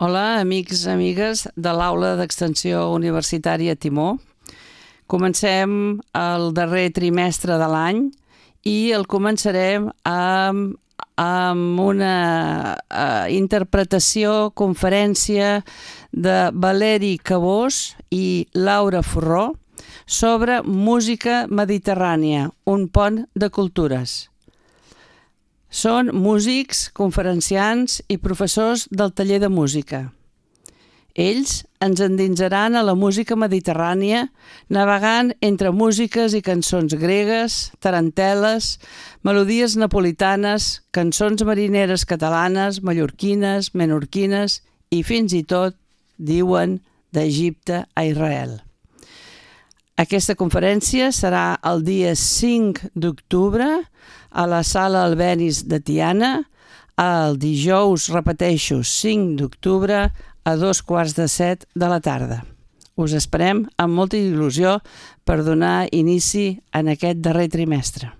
Hola, amics i amigues de l'Aula d'Extensió Universitària Timó. Comencem el darrer trimestre de l'any i el començarem amb una interpretació, conferència de Valeri Cabós i Laura Forró sobre música mediterrània, un pont de cultures. Són músics, conferenciants i professors del taller de música. Ells ens endinsaran a la música mediterrània, navegant entre músiques i cançons gregues, tarantel·les, melodies napolitanes, cançons marineres catalanes, mallorquines, menorquines i fins i tot, diuen, d'Egipte a Israel. Aquesta conferència serà el dia 5 d'octubre a la Sala Albéniz de Tiana, el dijous, repeteixo, 5 d'octubre a 6:15 de la tarda. Us esperem amb molta il·lusió per donar inici en aquest darrer trimestre.